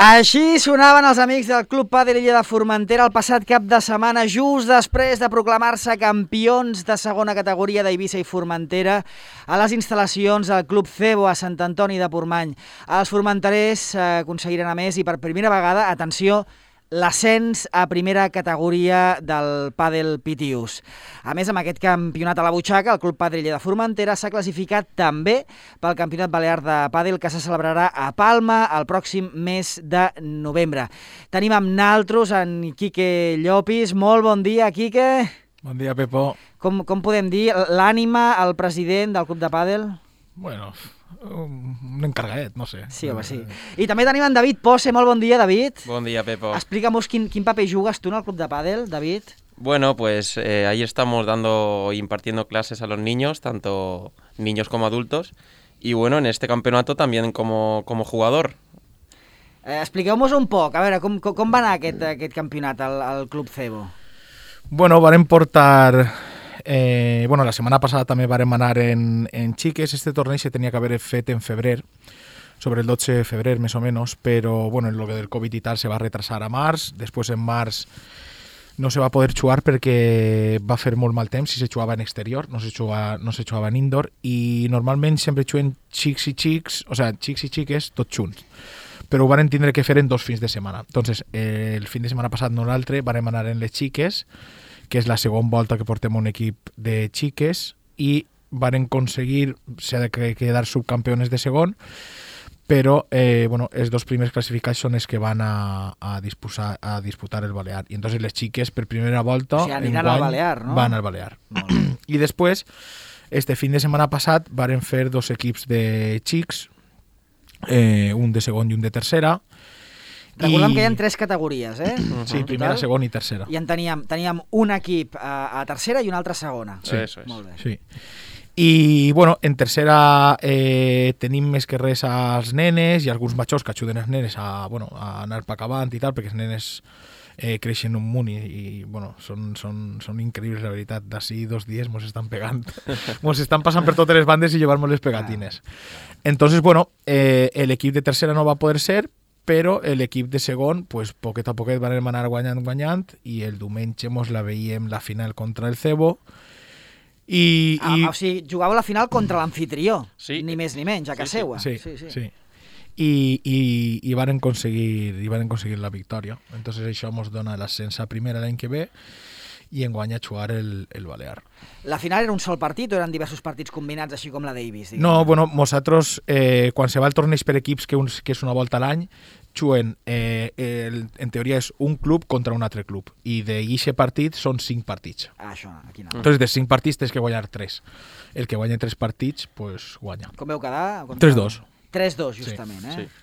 Així sonaven els amics del Club Pàdel Illa de Formentera el passat cap de setmana, just després de proclamar-se campions de segona categoria d'Eivissa i Formentera a les instal·lacions del Club Cebo a Sant Antoni de Portmany. Els formenterers aconseguiren a més i per primera vegada, atenció, l'ascens a primera categoria del Pàdel Pitius. A més, amb aquest campionat a la butxaca, el Club Pàdel Illa de Formentera s'ha classificat també pel Campionat Balear de Pàdel que se celebrarà a Palma el pròxim mes de novembre. Tenim amb naltros en Quique Llopis. Molt bon dia, Quique. Bon dia, Pepo. Com podem dir? L'ànima, el president del Club de Pàdel? Bueno, un encargadet, no sé. Sí, home, sí. I també tenim en David Posse. Molt bon dia, David. Bon dia, Pepo. Explica'm quin paper jugues tu en el Club de Pàdel, David. Bueno, pues ahí estamos dando y impartiendo clases a los niños, tanto niños como adultos, y bueno, en este campeonato también como jugador. Expliqueu-nos un poc, a veure, com va anar aquest campionat al Club Cebo? Bueno, varen portar... la setmana passada també vàrem anar en xiques. Este torneig se tenia que haver fet en febrer, sobre el 12 de febrer més o menys, però bueno, en lo del Covid i tal se va retrasar a març. Després en març no se va poder jugar perquè va fer molt mal temps i se jugava en exterior, no se jugava en indoor, i normalment sempre juguen xics i xics, o sigui, xics i xiques tots junts, però ho varen tindre que fer en 2 fins de setmana. Entonces, el fin de setmana passat nosaltres vàrem anar en les xiques, que és la segona volta que portem un equip de xiques, i varen aconseguir quedar subcampeones de segon, però els 2 primers classificats són els que van a disputar el Balear. I entonces les xiques per primera volta aniran al Balear, no? Van al Balear. I després, este fin de setmana passat, varen fer 2 equips de xics, un de segon i un de tercera. Recordem que hi ha 3 categories, eh? Sí, primera, segona i tercera. I en teníem un equip a tercera i un altre a segona. Sí, eso es. Molt bé. Sí. I, bueno, en tercera tenim més que res als nenes i alguns majors que ajuden els nenes a anar per acabant i tal, perquè els nenes creixen un munt i són increïbles, la veritat. D'ací 2 dies mos estan pegant. Mos estan passant per totes les bandes i llevar-nos les pegatines. Entonces, l'equip de tercera no va poder ser, però l'equip de segon, poquet a poquet van anar guanyant, i el diumenge mos la veiem la final contra el Cebo. O sigui, jugava la final contra l'amfitrió, sí. Ni més ni menys, a casa seva. Sí. I van aconseguir la victòria. Entonces això ens dona l'ascens a primera l'any que ve i enguany a jugar el Balear. La final era un sol partit o eren diversos partits combinats, així com la Davis? No, nosaltres, quan se va el torneig per equips, que és una volta a l'any, juguen, en teoria és un club contra un altre club, i d'aquest partit són 5 partits. Això, aquí no. Entonces, de 5 partits tens que guanyar 3. El que guanya 3 partits, guanya. Com veu quedar? 3-2. 3-2, justament, sí, eh? Sí.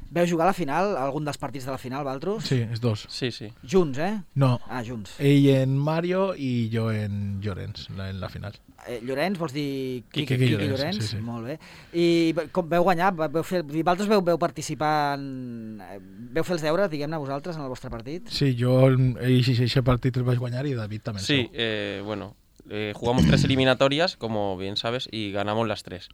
Veu jugar a la final, algun dels partits de la final, Valtros? Sí, els 2. Sí. Junts, eh? No. Junts. Ell en Mario i jo en Llorenç, en la final. Llorenç, vols dir Quique Llorenç? Sí. Molt bé. I com veu guanyar? Valtros veu participar veu fer els deures, diguem-ne, vosaltres, en el vostre partit? Sí, jo aquest partit el vaig guanyar i David també. Sí, jugamos 3 eliminatorias, como bien sabes, y ganamos las 3.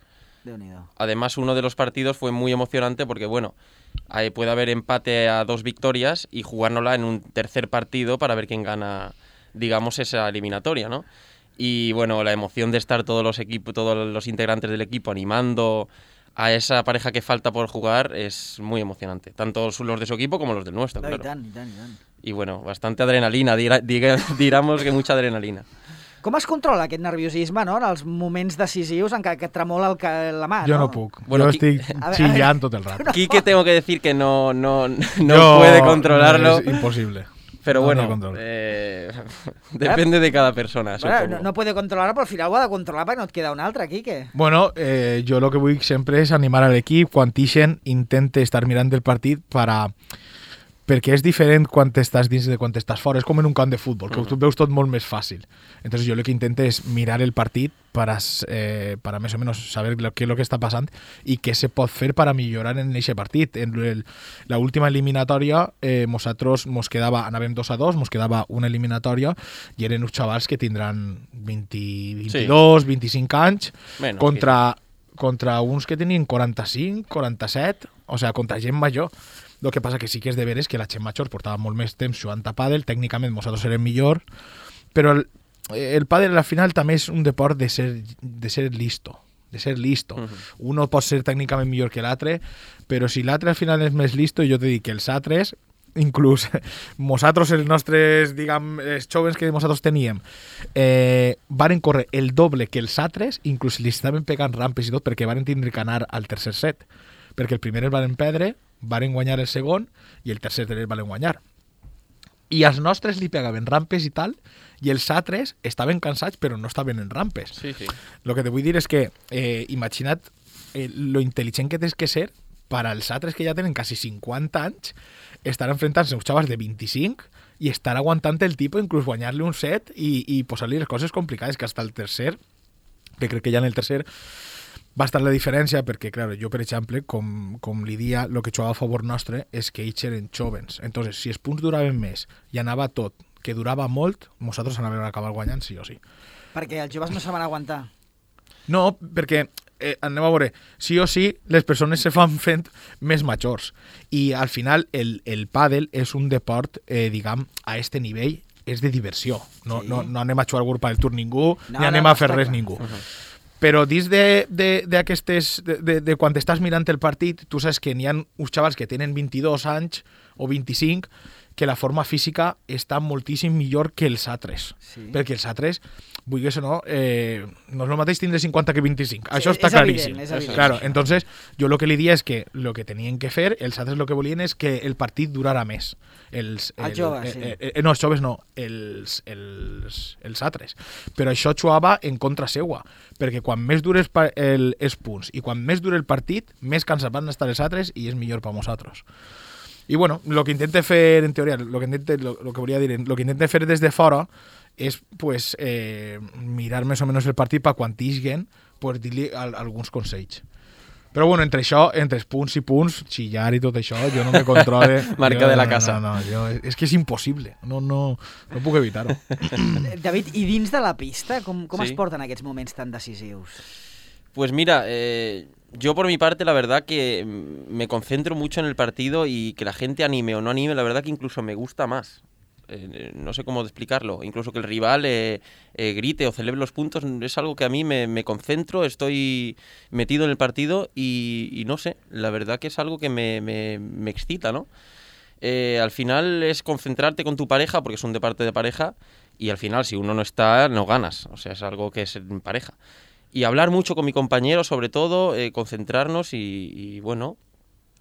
Además, uno de los partidos fue muy emocionante porque, puede haber empate a 2 victorias y jugárnosla en un tercer partido para ver quién gana, digamos, esa eliminatoria, ¿no? Y, la emoción de estar todos los integrantes del equipo animando a esa pareja que falta por jugar es muy emocionante, tanto los de su equipo como los del nuestro, claro. I tant. Y, bastante adrenalina, digamos que mucha adrenalina. Com es controla aquest nerviosisme, no?, en els moments decisius en què et tremola la mà, no? Jo no puc. Jo estic chillant tot el rato. Quique tengo que decir que no puede controlarlo. Es imposible. Pero depende de cada persona. No puede controlar, però al final ho ha de controlar perquè no et queda un altre, Quique. Jo el que vull sempre és animar a l'equip. Quan ixen, intente estar mirant el partit perquè és diferent quan estàs dins de quan estàs fora. És com en un camp de futbol, que tu veus tot molt més fàcil. Entonces jo el que intento és mirar el partit para més o menos saber qué es lo que està passant i què se pot fer per a millorar en aquest partit. En la última eliminatòria nosaltres anàvem 2-2, mos quedava una eliminatòria i eren uns xavals que tindran 22, 25 anys contra uns que tenien 45, 47, o sigui, contra gent major. El que passa que sí que és de veres que la gent major portava molt més temps jugant a pàdel, tècnicament nosaltres érem millor, però el pàdel al final també és un deport de ser listo. De ser listo. Uno pot ser tècnicament millor que l'altre, però si l'altre al final és més listo, jo te dic que els altres, inclús nosaltres, els nostres, diguem, els joves que nosaltres teníem, varen córrer el doble que els altres, inclús li estaven pegant rampes i tot, perquè varen tindre que anar al tercer set, perquè el primer el varen perdre, varen guanyar el segon, i el tercer el varen guanyar. I als nostres li pegaven rampes i tal, i els altres estaven cansats però no estaven en rampes. Sí, sí. Lo que te vull dir és que imagina't lo intel·ligent que tens que ser per als altres que ja tenen quasi 50 anys estar enfrontant-se a uns xavals de 25 i estar aguantant el tipus, inclús guanyar-li un set i posar-li les coses complicades, que hasta el tercer, que crec que ja en el tercer va estar la diferència, perquè, clar, jo, per exemple, com li dia, el que jugava a favor nostre és que ells eren jovens. Entonces, si els punts duraven més i anava tot, que durava molt, nosaltres anàvem a acabar guanyant sí o sí. Perquè els joves no se van aguantar. No, perquè, anem a veure, sí o sí, les persones se fan fent més majors. I, al final, el pàdel és un deport, diguem, a este nivell, és de diversió. No, sí. no anem a jugar al grup al tour ningú, ni anem a fer res ningú. Però dins d'aquestes, de quan estàs mirant el partit, tu saps que n'hi ha uns xavals que tenen 22 anys o 25 que la forma física està moltíssim millor que els altres. Sí. Perquè els altres, vulguis o no, no és el mateix tindre 50 que 25. Sí, això està claríssim. És evident. Claro, entonces, jo el que li dia és que el que tenien que fer, els altres el que volien és que el partit durara més. Els joves, sí. No, els joves no, els altres. Però això jugava en contra seua, perquè quan més dures els punts i quan més dura el partit, més cansats van estar els altres i és millor per nosaltres. I bueno, lo que intente fer, en teoria, lo que volia dir, lo que intente fer des de fora és pues, mirar més o menys el partit per quan tisguen, pues, dir-li alguns consells. Però bueno, entre això, entre punts i punts, xillar i tot això, jo no me controle. Marca de la casa. No, és que és impossible. No puc evitar-ho. David, i dins de la pista, com es porten aquests moments tan decisius? Pues mira, yo por mi parte la verdad que me concentro mucho en el partido y que la gente anime o no anime, la verdad que incluso me gusta más. No sé cómo explicarlo, incluso que el rival grite o celebre los puntos, es algo que a mí me concentro, estoy metido en el partido y no sé, la verdad que es algo que me excita, ¿no? Al final es concentrarte con tu pareja, porque es un deporte de pareja, y al final si uno no está, no ganas, o sea, es algo que es en pareja. Y hablar mucho con mi compañero, sobre todo, concentrarnos y bueno,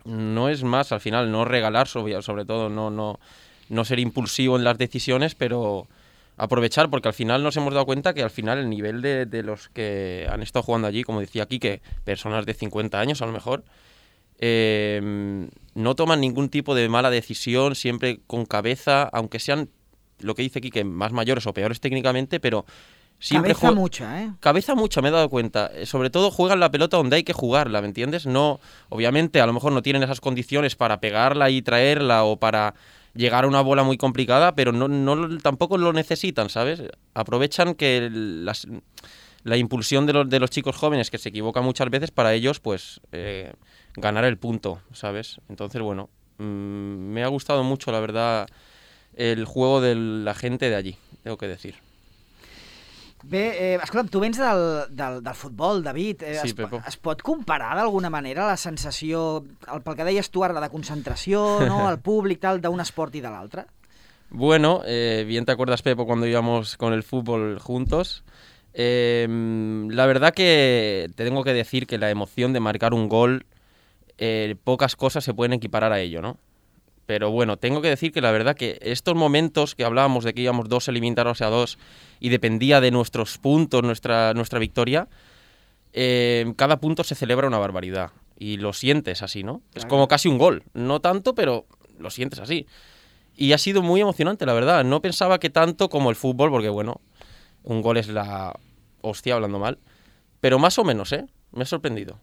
no es más, al final, no regalar, sobre todo, no ser impulsivo en las decisiones, pero aprovechar, porque al final nos hemos dado cuenta que al final el nivel de los que han estado jugando allí, como decía Quique, personas de 50 años a lo mejor, no toman ningún tipo de mala decisión, siempre con cabeza, aunque sean, lo que dice Quique, más mayores o peores técnicamente, pero... Cabeza mucha, ¿eh? Cabeza mucha, me he dado cuenta. Sobre todo juegan la pelota donde hay que jugarla, ¿me entiendes? No, obviamente, a lo mejor no tienen esas condiciones para pegarla y traerla o para llegar a una bola muy complicada, pero tampoco lo necesitan, ¿sabes? Aprovechan que la impulsión de los chicos jóvenes, que se equivocan muchas veces, para ellos, pues, ganar el punto, ¿sabes? Entonces, bueno, me ha gustado mucho, la verdad, el juego de la gente de allí, tengo que decir. Bé, escolta'm, tu vens del futbol, David. Sí, es pot comparar d'alguna manera la sensació, pel que deies tu ara, de concentració, no? El públic, tal, d'un esport i de l'altre? Bueno, bien te acuerdas, Pepo, cuando íbamos con el fútbol juntos. La verdad que te tengo que decir que la emoción de marcar un gol, pocas cosas se pueden equiparar a ello, ¿no? Pero bueno, tengo que decir que la verdad que estos momentos que hablábamos de que íbamos 2 eliminados a 2 y dependía de nuestros puntos, nuestra victoria, cada punto se celebra una barbaridad. Y lo sientes así, ¿no? Claro. Es como casi un gol. No tanto, pero lo sientes así. Y ha sido muy emocionante, la verdad. No pensaba que tanto como el fútbol, porque bueno, un gol es la hostia, hablando mal. Pero más o menos, Me ha sorprendido.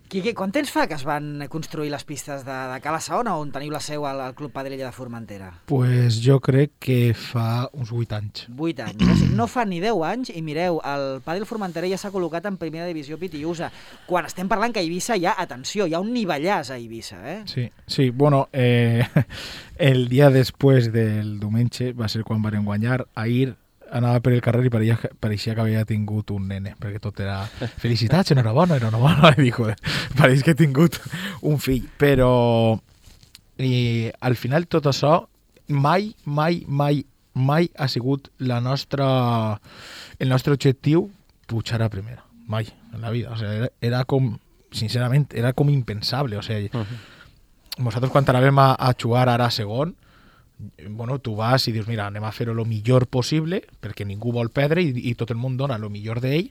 Quique, quant temps fa que es van construir les pistes de Cala Saona, on teniu la seu al Club Padel Illa de Formentera? Pues jo crec que fa uns 8 anys. 8 anys. O sigui, no fa ni 10 anys, i mireu, el Padel Formentera ja s'ha col·locat en primera divisió Pitiusa. Quan estem parlant que a Eivissa hi ha, atenció, hi ha un nivellàs a Eivissa, eh? Sí, bueno, el dia després del diumenge va ser quan van guanyar. Ahir anava per el carrer i pareixia que havia tingut un nene, perquè tot era felicitats, enhorabona, i dic, pareix que he tingut un fill, però al final tot això mai ha sigut el nostre objectiu pujar a primera, mai en la vida, o sigui, era com, sincerament, era com impensable, o sigui, nosaltres quan anàvem a jugar ara a segon, bueno, tu vas i dius, mira, anem a fer-ho el millor possible, perquè ningú vol perdre i tot el món dona el millor d'ell,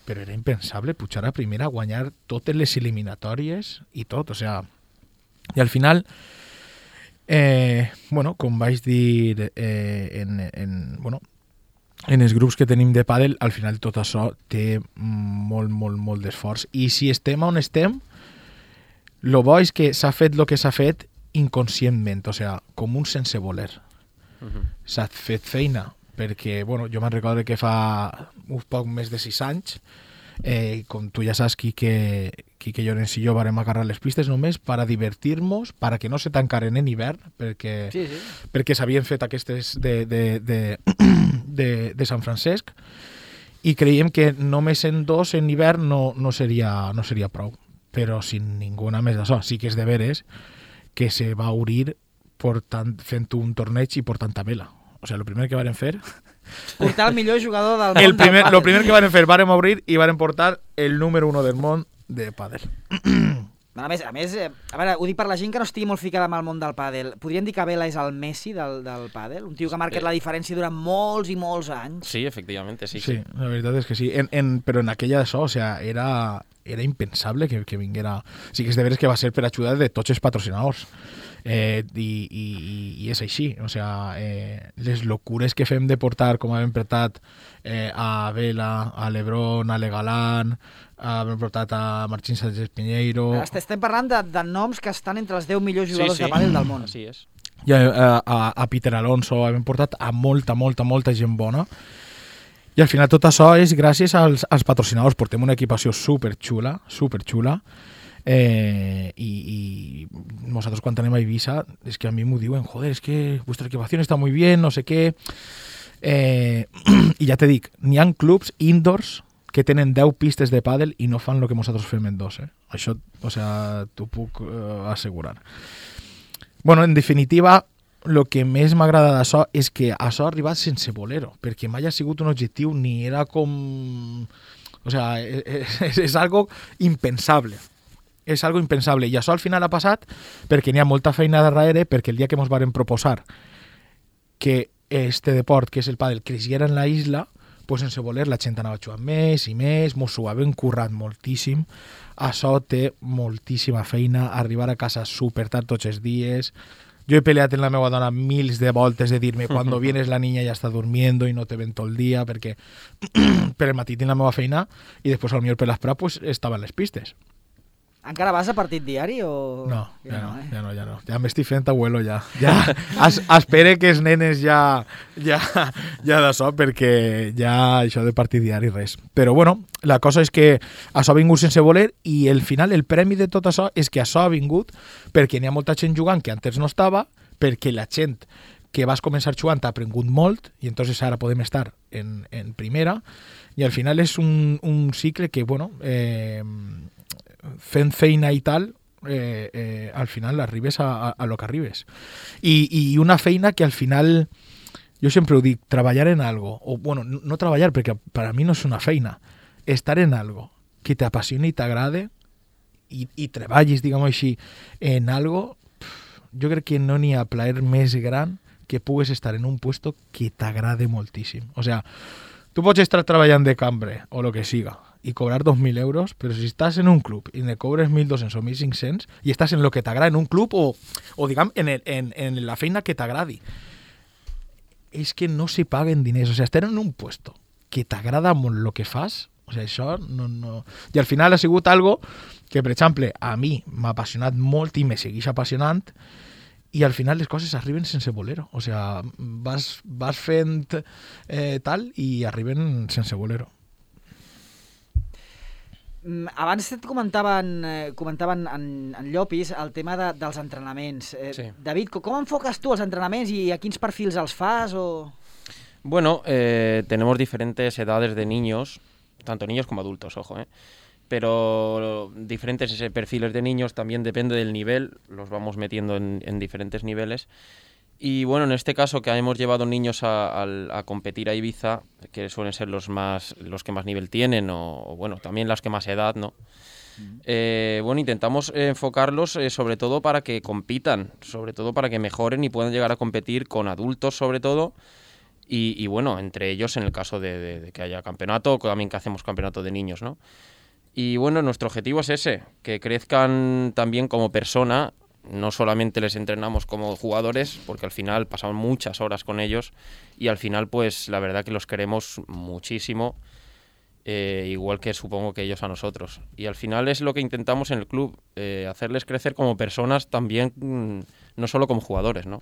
però era impensable pujar a primera, guanyar totes les eliminatòries i tot, o sea, i al final, bueno, com vaig dir en els grups que tenim de pàdel, al final tot això té molt d'esforç. I si estem on estem, lo bo és que s'ha fet el que s'ha fet inconscientment, o sigui, com un sense voler. S'ha fet feina, perquè, bueno, jo me'n recordo que fa un poc més de 6 anys, com tu ja saps, Quique Llorens i jo varem agarrar les pistes només per a divertir-nos, per a que no se tancaren en hivern, perquè s'havien fet aquestes de Sant Francesc, i creiem que només en 2 en hivern no seria prou, però sin ninguna més d'això. Sí que és de veres que se va obrir fent un torneig i portant vela. O sigui, el primer que varen fer... Portar el millor jugador del món del pàdel. El primer que varen fer, varen obrir i varen portar el número 1 del món de pàdel. A més, a veure, ho dic per la gent que no estigui molt ficada amb el món del pàdel. Podríem dir que Vela és el Messi del pàdel? Un tio que ha marcat la diferència durant molts i molts anys. Sí, efectivament, sí. Sí, la veritat és que sí. Però en aquella d'això, o sigui, era impensable que vinguera... Sí que és de veres que va ser per ajudar de tots els patrocinadors. I és així, o sigui, les locures que fem de portar, com hem portat a Vela, a Lebron, a Legalán, hem portat a Martín Sánchez Piñeiro... Estem parlant de noms que estan entre els 10 millors jugadors de pàdel del món. Així és. I a Peter Alonso, hem portat a molta gent bona. I al final tot això és gràcies als patrocinadors. Portem una equipació superxula, y nosotros cuando anem a Eivissa es que a mí me diuen, joder, es que vuestra equipación está muy bien, no sé qué, y ja te dic, n'hi ha clubs indoors que tenen 10 pistes de pàdel i no fan el que nosaltres fem en 2, això, o sea, t'ho puc assegurar. Bueno, en definitiva, el que més m'agrada d'això és que això ha arribat sense voler-ho, perquè mai ha sigut un objectiu ni era com... O sea, és algo impensable. És algo impensable. I això al final ha passat perquè n'hi ha molta feina darrere, perquè el dia que ens varen proposar que este deport, que és el pàdel, creixera en la isla, pues sense voler la gent anava jugant més i més, mos ho havien currat moltíssim. Això té moltíssima feina, arribar a casa super tard tots els dies. Jo he peleat en la meva dona mils de voltes de dir-me cuando vienes la niña ya está durmiendo y no te ven todo el día, perquè per el matí tinc la meva feina i després al millor per l'esprà pues, estava en les pistes. Encara vas a partit diari o...? No, ja no. Ja m'estic fent abuelo, ja. Espere que els nenes ja d'això, perquè ja això de partit diari res. Però bueno, la cosa és que això ha vingut sense voler i al final el premi de tot això és que això ha vingut perquè n'hi ha molta gent jugant que antes no estava, perquè la gent que vas començar jugant ha aprengut molt i entonces ara podem estar en primera i al final és un cicle que, bueno... fent feina i tal, al final arribes a lo que arribes. I una feina que al final, jo sempre ho dic, treballar en algo, o bueno, no treballar, perquè per a mi no és una feina, estar en algo que t'apassioni i t'agrade i treballis, diguem així, en algo, jo crec que no n'hi ha plaer més gran que pugues estar en un puesto que t'agrade moltíssim. O sea, tu pots estar treballant de cambrer o lo que siga, y cobrar 2.000 euros, pero si estás en un club y le cobres 1.200 o 1.500 y estás en lo que t'agrada en un club o digamos, en la feina que t'agradi, és que no se paguen diners. O sea, estar en un puesto que t'agrada molt lo que fas, O sigui, això no... I al final ha sigut algo que, per exemple, a mi m'ha apassionat molt i me segueix apassionant, i al final les coses arriben sense voler-ho. O sigui, vas fent tal i arriben sense voler-ho. Abans et comentaven en Llopis el tema dels entrenaments. Sí. David, com enfoques tu els entrenaments i a quins perfils els fas? Bueno, tenemos diferentes edades de niños, tanto niños como adultos, ojo, pero diferentes perfiles de niños, también depende del nivel, los vamos metiendo en diferentes niveles. Y bueno, en este caso que hemos llevado niños a competir a Ibiza, que suelen ser los que más nivel tienen, o bueno, también las que más edad, ¿no? Bueno, intentamos enfocarlos sobre todo para que compitan, sobre todo para que mejoren y puedan llegar a competir con adultos sobre todo. Y bueno, entre ellos en el caso de que haya campeonato, o también que hacemos campeonato de niños, ¿no? Y bueno, nuestro objetivo es ese, que crezcan también como persona. No solamente les entrenamos como jugadores, porque al final pasamos muchas horas con ellos y al final pues la verdad que los queremos muchísimo, igual que supongo que ellos a nosotros. Y al final es lo que intentamos en el club, hacerles crecer como personas también, no solo como jugadores, ¿no?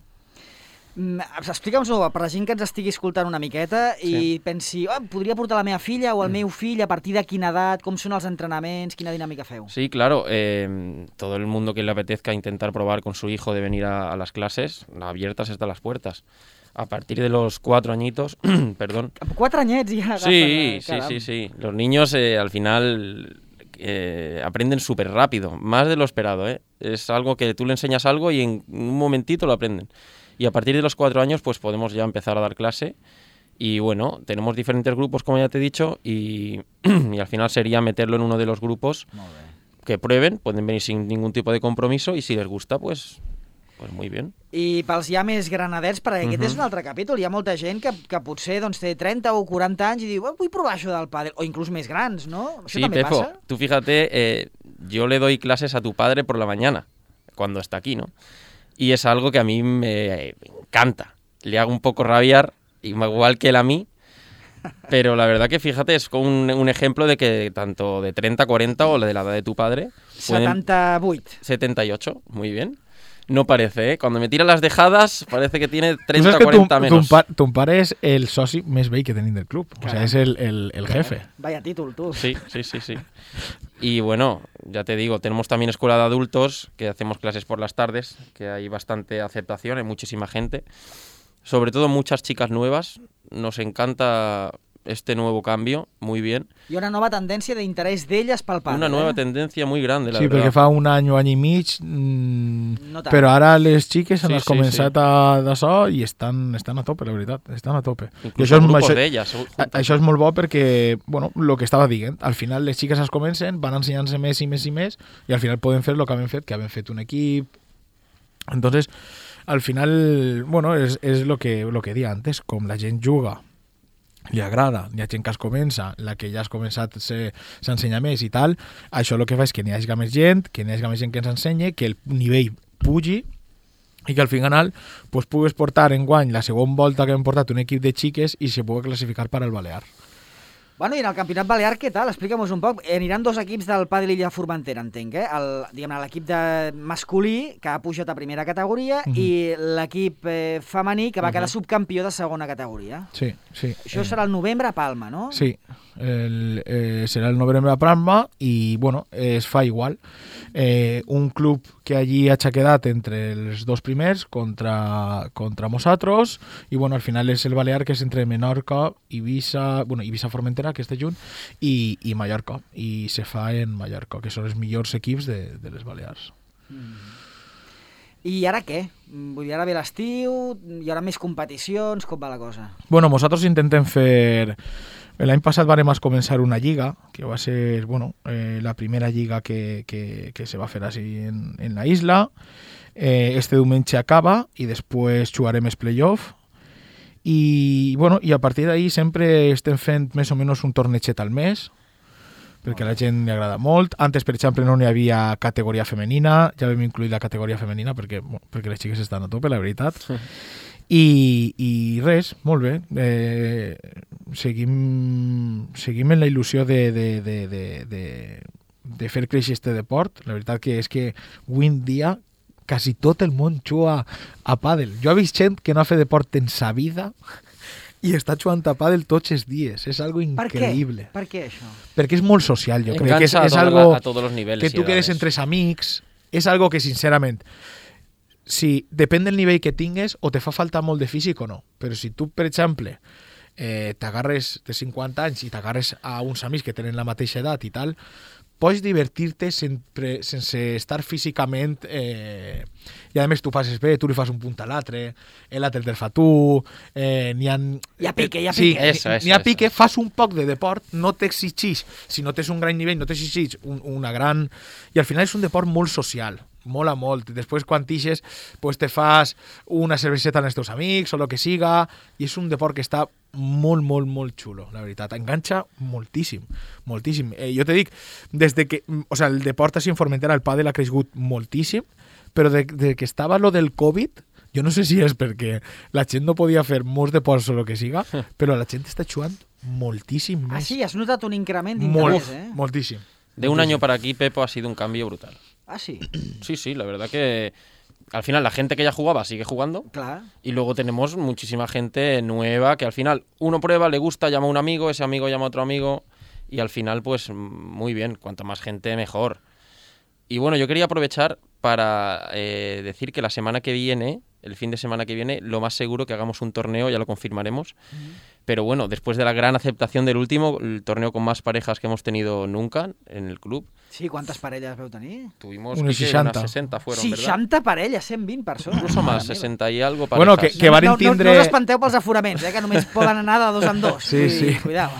Explica'm-ho per la gent que ens estigui escoltant una miqueta i pensi, podria portar la meva filla o el meu fill a partir de quina edat, com són els entrenaments, quina dinàmica feu? Sí, claro, todo el mundo que le apetezca intentar probar con su hijo de venir a las clases, abiertas están las puertas. A partir de los 4 añitos, perdón. 4 añets ja? Sí. Los niños al final aprenden súper rápido, más de lo esperado, Es algo que tú le enseñas algo y en un momentito lo aprenden. Y a partir de los 4 años pues podemos ya empezar a dar clase y bueno, tenemos diferentes grupos como ya te he dicho y al final sería meterlo en uno de los grupos que prueben, pueden venir sin ningún tipo de compromiso y si les gusta pues muy bien. I pels ja més granadets, perquè aquest és un altre capítol, hi ha molta gent que potser doncs, té 30 o 40 anys i diu, vull provar això del pàdel, o inclús més grans, ¿no? Això també Pepo, pasa? Tú fíjate, yo le doy clases a tu padre por la mañana, cuando está aquí, ¿no? Y es algo que a mí me encanta. Le hago un poco rabiar, igual que él a mí, pero la verdad que fíjate, es un ejemplo de que tanto de 30, 40 o de la edad de tu padre... 78. 78, muy bien. No parece, Cuando me tira las dejadas parece que tiene 30 o 40 menos. Tu pare és el soci més vell que tenim del club. O sea, és el jefe. Vaya títol, tú. Sí. Y bueno, ya te digo, tenemos también escuela de adultos, que hacemos clases por las tardes, que hay bastante aceptación, hay muchísima gente. Sobre todo muchas chicas nuevas. Nos encanta este nuevo cambio, muy bien. I una nova tendència d'interès d'elles pel pàdel. Una nueva tendencia muy grande, la verdad. Sí, perquè fa un any o any i mig, no però ara les xiques han començat d'això i estan a tope, la veritat, estan a tope. Inclús grupos d'elles. Això és molt bo perquè, bueno, el que estava dient, al final les xiques es comencen, van ensenyant-se més i més i més i al final poden fer el que havem fet un equip. Entonces, al final, bueno, és lo que dia antes, com la gent juga, li agrada, hi ha gent que es comença, la que ja has començat s'ensenya més i tal, això el que fa és que n'hi hagi més gent, que ens ensenyi, que el nivell pugi i que al final pues, pugues portar enguany la segona volta que hem portat un equip de xiques i se pugui classificar per al Balear. Bueno, i en el Campionat Balear, què tal? Explica'm-nos un poc. Aniran 2 equips del Pàdel Illa Formentera, entenc, l'equip de masculí, que ha pujat a primera categoria, i l'equip femení, que va quedar subcampió de segona categoria. Sí. Això serà el novembre a Palma, no? Sí, serà el novembre a Palma i, bueno, es fa igual. Un club que allí ha quedat entre els 2 primers contra nosaltres i, bueno, al final és el Balear, que és entre Menorca, Ibiza Formentera, que està junt, i Mallorca, i se fa en Mallorca, que són els millors equips de les Balears. I ara què? Vull dir, ara ve l'estiu, hi haurà més competicions, com va la cosa? Bueno, nosaltres intentem fer... L'any passat vam començar una lliga, que va ser, bueno, la primera lliga que se va fer així en la isla. Este diumenge acaba i després jugarem els play-off. I, bueno, i a partir d'ahí sempre estem fent més o menys un torneiget al mes, perquè a la gent li agrada molt. Antes, per exemple, no n'hi havia categoria femenina, ja vam incluir la categoria femenina perquè les xiques estan a tope, la veritat. I res, molt bé. Seguim en la il·lusió de fer créixer este deport. La veritat que és que avui en dia quasi tot el món juga a pàdel. Jo he vist gent que no ha fet deport en sa vida i està jugant a pàdel tots els dies. És algo increïble. Per què això? Perquè és molt social, jo crec que és algo a tots los niveles que tu quedes entre els és algo que sincerament si depèn del nivell que tingues o te fa falta molt de físic o no, però si tu per exemple t'agarres de 50 anys i t'agarres a uns amics que tenen la mateixa edat i tal, pots divertir-te sense estar físicament i a més tu passes bé, tu li fas un punt a l'altre, l'altre te'l fa tu, n'hi ha pique, pique, fas un poc de deport, no t'exigix, si no tens un gran nivell, no t'exigix una gran... I al final és un deport molt social, mola molt. Després quan tixes pues te fas una cerveseta amb els teus amics o el que siga i és un deport que està molt, molt, molt xulo, la veritat. Enganxa moltíssim, moltíssim. Jo te dic, des de que el deport així en Formentera, el pàdel ha crescut moltíssim, però de que estava lo del Covid, jo no sé si és perquè la gent no podia fer molts deports o el que siga, però la gent està jugant moltíssim més. Ah, sí? Has notat un increment d'interès, Moltíssim. De un año para aquí, Pepo, ha sido un cambio brutal. Ah, sí. Sí, la verdad que al final la gente que ya jugaba sigue jugando. Claro. Y luego tenemos muchísima gente nueva que al final uno prueba, le gusta, llama a un amigo, ese amigo llama a otro amigo y al final pues muy bien, cuanto más gente mejor. Y bueno, yo quería aprovechar para decir que la semana que viene, el fin de semana que viene, lo más seguro que hagamos un torneo, ya lo confirmaremos. Pero bueno, después de la gran aceptación del último, el torneo con más parejas que hemos tenido nunca en el club. Sí, ¿cuántas parelles veu tenir? Tuvimos unas 60 fueron, 60 parelles, 120 persones. Incluso más, 60 y algo parejas. Bueno, que van tindre... No us espanteu pels aforaments, que només poden anar de 2 en 2. Sí. Cuidao.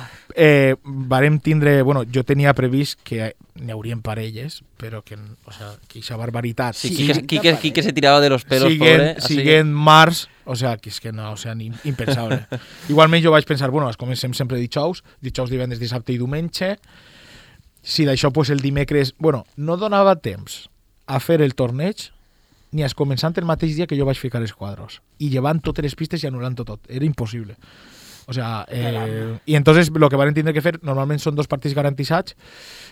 Varem tindre... Bueno, jo tenia previst que n'hi haurien parelles, però que aquesta barbaritat... Sí, Quique se tiraba de los pelos, pobre. Siguen març, que és que no, impensable. Igualment jo vaig pensar, bueno, comencem sempre dijous, divendres, dissabte i diumenge. Si d'això, pues, el dimecres... Bueno, no donava temps a fer el torneig ni a començant el mateix dia que jo vaig ficar els quadros. I llevant totes les pistes i anul·lant tot. Era impossible. Y entonces lo que van a entender que fer normalment són 2 partits garantitzats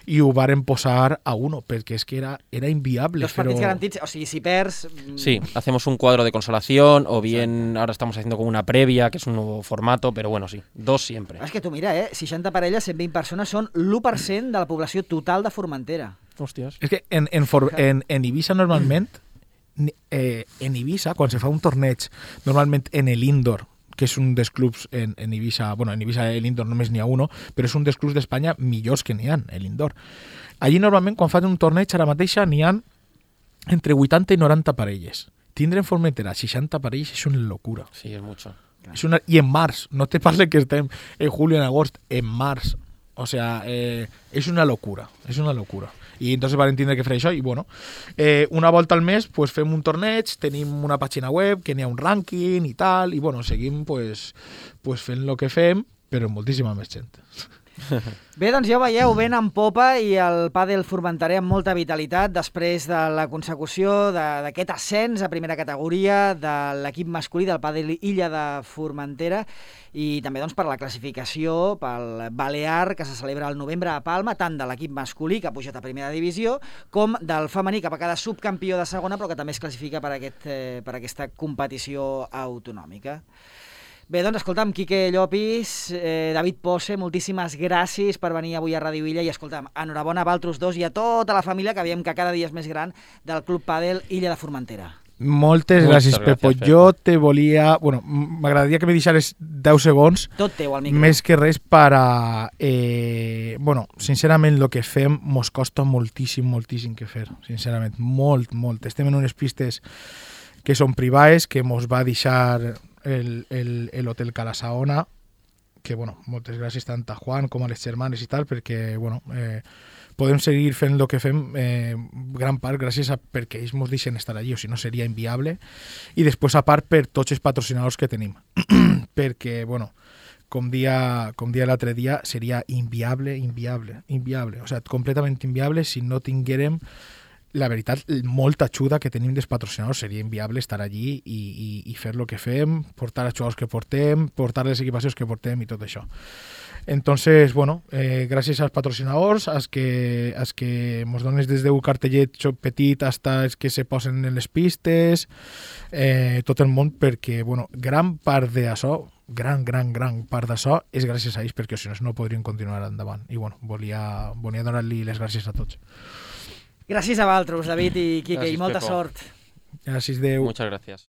i ho varen posar a 1 perquè és que era inviable. 2 partits garantits, o sigui, si perds... Sí, hacemos un cuadro de consolación o bien ahora estamos haciendo como una previa, que es un nuevo formato, pero bueno, sí, 2 siempre. És que tu mira, 60 parelles, 120 persones són l'1% de la població total de Formentera. Hòsties. És que en Ibiza normalment, en Ibiza, quan se fa un torneig, normalment en l'Indoor, que és un dels clubs en Ibiza, bueno, en Ibiza l'Indoor només n'hi ha 1, però és un dels clubs d'Espanya millors que n'hi ha, l'Indoor. Allí normalment quan fan un torneig ara mateixa n'hi ha entre 80 i 90 parelles. Tindre en Formentera 60 parelles és una locura. Sí, és mucho. I en març, no te parle que estem en julio, en agost, en març. O sea, és una locura, és una locura. I entonces van entendre que fer això i bueno, una volta al mes pues fem un torneig, tenim una pàgina web que n'hi ha un rànquing i tal, i bueno, seguim pues fent el que fem, però amb moltíssima més gent. Bé, doncs ja ho veieu, ben en popa i el pàdel formenterè amb molta vitalitat després de la consecució d'aquest ascens a primera categoria de l'equip masculí del pàdel Illa de Formentera i també doncs, per la classificació pel Balear que se celebra al novembre a Palma, tant de l'equip masculí que ha pujat a primera divisió com del femení que va quedar subcampió de segona però que també es classifica per aquesta competició autonòmica. Bé, doncs, escolta'm, Quique Llopis, David Posse, moltíssimes gràcies per venir avui a Ràdio Illa i, escolta'm, enhorabona a Valtros 2 i a tota la família que veiem que cada dia és més gran del Club Pàdel Illa de Formentera. Moltes gràcies, Pepo. Jo te volia... Bueno, m'agradaria que me deixares 10 segons. Tot teu, al micro. Més que res per a... bueno, sincerament, el que fem mos costa moltíssim que fer. Sincerament, molt. Estem en unes pistes que són privades, que mos va deixar l'Hotel Calasaona, que, bueno, moltes gràcies tant a Juan com a les germanes i tal, perquè, bueno, podem seguir fent el que fem gran part gràcies a perquè ells ens deixen estar allí, o si no seria inviable, i després a part per tots els patrocinadors que tenim, perquè, bueno, com dia l'altre dia, seria inviable, o sigui, completament inviable si no tinguérem la veritat, molta ajuda que tenim dels patrocinadors. Seria inviable estar allí i fer el que fem, portar els jugadors que portem, portar les equipacions que portem i tot això. Entonces, bueno, gràcies als patrocinadors, als que ens dones des d'un cartellet petit hasta els que se posen en les pistes, tot el món, perquè, bueno, gran part d'això, gran part d'això és gràcies a ells, perquè si no, no podrien continuar endavant. I, bueno, volia donar-li les gràcies a tots. Gràcies a vosaltres, David i Quique, Gràcies, i molta Pepo. sort. Gràcies, Déu. Muchas gracias.